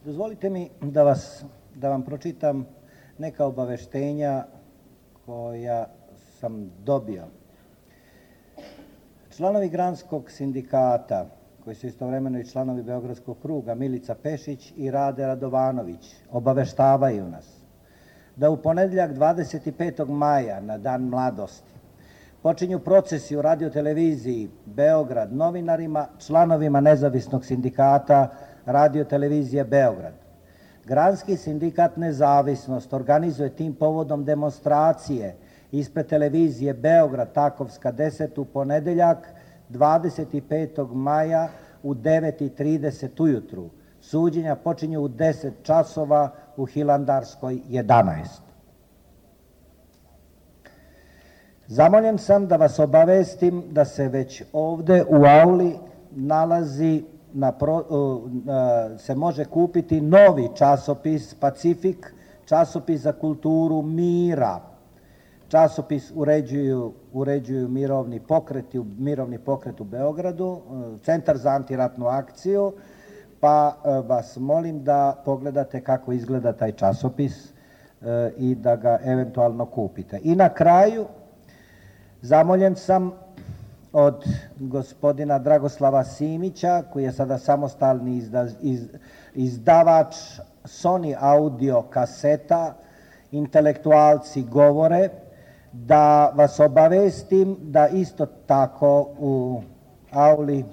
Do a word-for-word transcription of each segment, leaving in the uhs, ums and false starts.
Dozvolite mi da, vas, da vam pročitam neka obaveštenja koja sam dobio. Članovi Granskog sindikata, koji su istovremeno i članovi Beogradskog kruga, Milica Pešić i Rade Radovanović, obaveštavaju nas da u ponedjeljak dvadeset petog maja, na Dan mladosti, počinju procesi u radioteleviziji Beograd novinarima, članovima nezavisnog sindikata radiotelevizije Beograd. Granski sindikat Nezavisnost organizuje tim povodom demonstracije ispred televizije Beograd Takovska deset u ponedeljak dvadeset petog maja u devet i trideset ujutru. Suđenja počinju u deset časova u Hilandarskoj jedanaest. Zamoljen sam da vas obavestim da se već ovde u auli nalazi, na pro, se može kupiti novi časopis Pacifik, časopis za kulturu mira. Časopis uređuju, uređuju mirovni pokreti, mirovni pokret u Beogradu, Centar za antiratnu akciju, pa vas molim da pogledate kako izgleda taj časopis i da ga eventualno kupite. I na kraju, zamoljen sam od gospodina Dragoslava Simića, koji je sada samostalni izda, iz, izdavač Sony audio kaseta, Intelektualci govore, da vas obavestim da isto tako u auli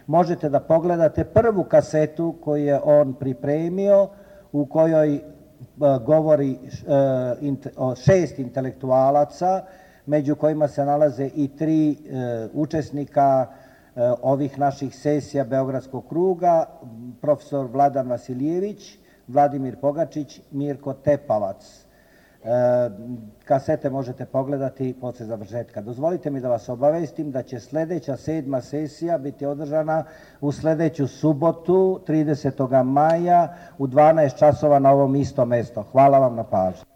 možete da pogledate prvu kasetu koju je on pripremio, u kojoj govori o šest intelektualaca, među kojima se nalaze i tri učesnika ovih naših sesija Beogradskog kruga, profesor Vladan Vasilijević, Vladimir Pogačić, Mirko Tepavac. Kasete možete pogledati posle završetka. Dozvolite mi da vas obavestim da će sledeća sedma sesija biti održana u sledeću subotu, tridesetog maja u dvanaest časova na ovom istom mestu. Hvala vam na pažnju.